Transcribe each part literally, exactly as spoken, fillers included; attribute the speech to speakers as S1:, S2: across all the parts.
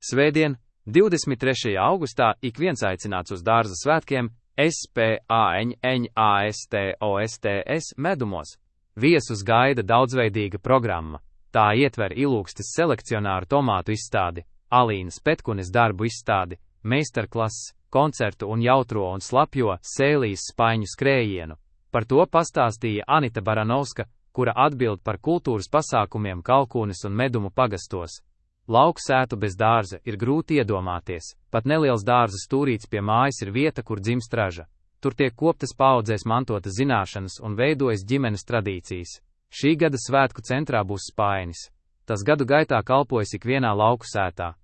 S1: Svētdien, divdesmit trešajā augustā, ik viens aicināts uz dārza svētkiem Spāņastos medumos. Viesus gaida daudzveidīga programma. Tā ietver Ilūgstes selekcionāru tomātu izstādi, Alīnas Petkunes darbu izstādi, meistarklases, koncertu un jautro un slapjo Sēlijas spaiņu skrējienu. Par to pastāstīja Anita Baranovska, kura atbild par kultūras pasākumiem Kalkūnes un Medumu pagastos. Lauku sētu bez dārza ir grūti iedomāties, pat neliels dārza stūrīts pie mājas ir vieta, kur dzimst raža. Tur tiek koptas paaudzēs mantotas zināšanas un veidojas ģimenes tradīcijas. Šī gada svētku centrā būs spainis. Tas gadu gaitā kalpojas ikvienā lauku sētā.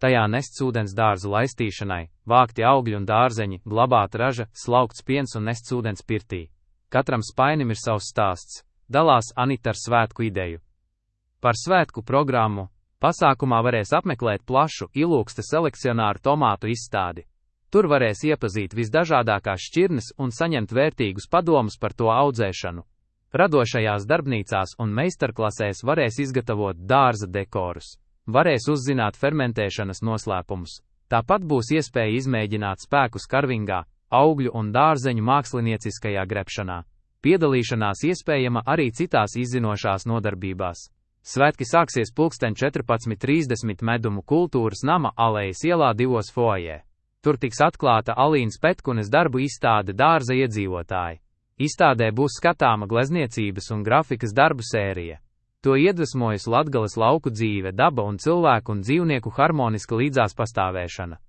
S1: Tajā nests ūdens dārzu laistīšanai, vākti augļi un dārzeņi, glabāta raža, slaukts piens un nests ūdens pirtī. Katram spainim ir savs stāsts, dalās Anita ar svētku ideju. Par svētku programmu pasākumā varēs apmeklēt plašu Ilūgstes selekcionāru tomātu izstādi. Tur varēs iepazīt visdažādākās šķirnes un saņemt vērtīgus padomus par to audzēšanu. Radošajās darbnīcās un meistarklasēs varēs izgatavot dārza dekorus. Varēs uzzināt fermentēšanas noslēpumus. Tāpat būs iespēja izmēģināt spēkus karvingā, augļu un dārzeņu mākslinieciskajā grebšanā. Piedalīšanās iespējama arī citās izzinošās nodarbībās. Svētki sāksies pulksten četrpadsmit trīsdesmit Medumu kultūras nama alejas ielā divos foajē. Tur tiks atklāta Alīnas Petkunes darbu izstāde dārza iedzīvotāji. Izstādē būs skatāma glezniecības un grafikas darbu sērija. To iedvesmojas Latgales lauku dzīve, daba un cilvēku un dzīvnieku harmoniska līdzās pastāvēšana.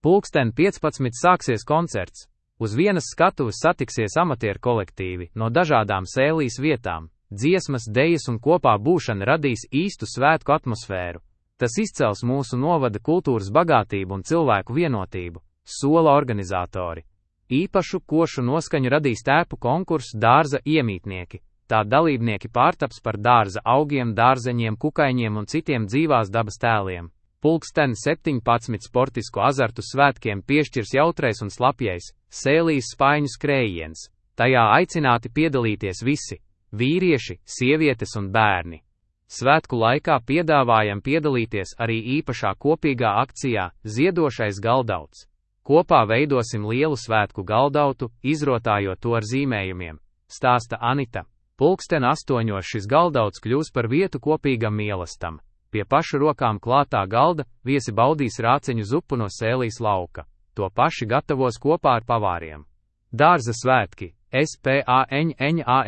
S1: Pulksten piecpadsmit sāksies koncerts. Uz vienas skatuves satiksies amatieru kolektīvi no dažādām Sēlijas vietām. Dziesmas, dejas un kopā būšana radīs īstu svētku atmosfēru. Tas izcels mūsu novada kultūras bagātību un cilvēku vienotību, sola organizatori. Īpašu košu noskaņu radīs tēpu konkursu dārza iemītnieki. Tā dalībnieki pārtaps par dārza augiem, dārzeņiem, kukaiņiem un citiem dzīvās dabas tēliem. Pulksten septiņpadsmit sportisku azartu svētkiem piešķirs jautrais un slapjais Sēlijas spaiņu skrējiens. Tajā aicināti piedalīties visi - vīrieši, sievietes un bērni. Svētku laikā piedāvājam piedalīties arī īpašā kopīgā akcijā Ziedošais galdauts. Kopā veidosim lielu svētku galdautu, izrotājot to ar zīmējumiem, stāsta Anita. Pulksten astoņos šis galdauts kļūs par vietu kopīgam mīlestam. Pie pašu rokām klātā galda viesi baudīs rāceņu zupu no Sēlijas lauka. To paši gatavos kopā ar pavāriem. Dārza svētki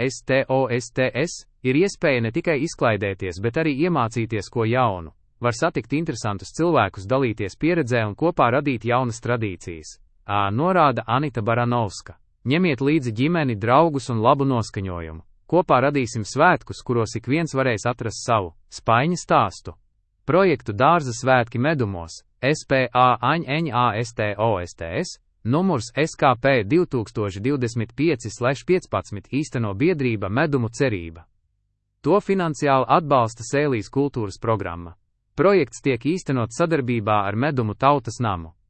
S1: Spāņastos ir iespēja ne tikai izklaidēties, bet arī iemācīties ko jaunu. Var satikt interesantus cilvēkus, dalīties pieredzē un kopā radīt jaunas tradīcijas. Ā, norāda Anita Baranovska. Ņemiet līdzi ģimeni, draugus un labu noskaņojumu. Kopā radīsim svētkus, kuros ik viens varēs atrast savu spaiņa stāstu. Projektu Dārza svētki medumos Spāņastos numurs S K P divi tūkstoši divdesmit pieci piecpadsmit īsteno biedrība Medumu cerība. To finansiāli atbalsta Sēlijas kultūras programma. Projekts tiek īstenots sadarbībā ar Medumu tautas namu.